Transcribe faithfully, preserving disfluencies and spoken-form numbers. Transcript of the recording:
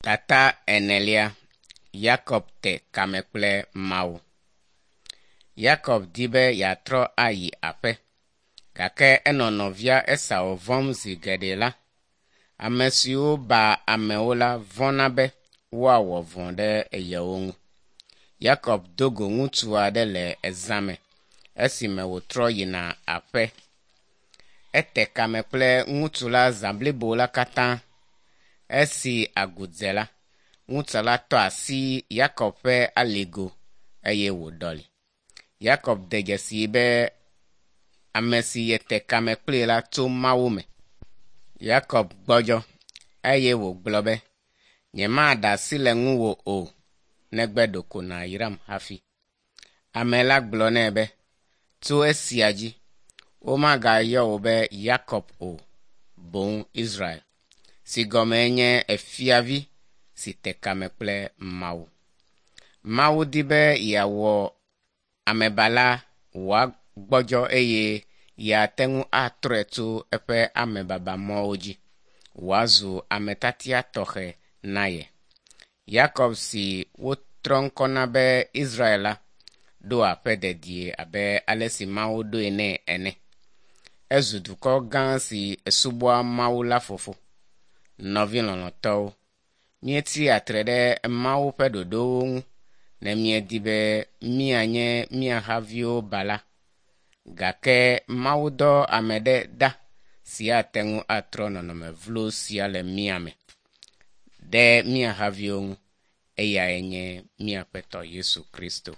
Tata enelia Yakob te kame kple Mawu. Yakob di be yeatrɔ ayi aƒe, gake enɔ nɔvia Esau vɔ̃m zi geɖe la, ame siwo baa amewo la vɔ̃na be woawɔ vɔ̃ ɖe yewo ŋu. Yakob do go ŋutsu aɖe le zã me esime wòtrɔ yina aƒe. Ete kame kple ŋutsu la zã blibo la katã. Esi agu dze la, ŋutsu la tɔ asi Yakob ƒe aligo eye wòɖɔli. Yakob de dzesii be ame si yete kame kplii la tso Mawu me. Yakob gbɔdzɔ eye wògblɔ be, “Nyemaɖe asi le ŋuwò o, negbe ɖeko nàyram hafi.” Ame la gblɔ nɛ be, “Tso esia dzi, womagayɔ wò be Yakob o, boŋ Israel, si gɔmee nye Fiavi si te kame kple Mawu.” Mawu di be yeawɔ amebala wòagbɔdzɔ eye yeate ŋu atrɔe tso eƒe amebabamɔwo dzi wòazu ame tiatia tɔxɛ na ye. Yakob si wotrɔ ŋkɔ na be Israel la, ɖo aƒe dedie abe ale si Mawu ɖoe nɛ ene. Ezu dukɔ gã si subɔa Mawu la fofo. Nɔvi lɔlɔ̃tɔwo, míetsia tre ɖe Mawu ƒe ɖoɖowo ŋu ne míedi be míanye mía haviwo bala. Gake Mawu dɔ ame ɖe ɖa si ate ŋu atrɔ nɔnɔme vlo sia le mía me ɖe mía haviwo ŋu. Eyae nye mía Aƒetɔ Yesu Kristo.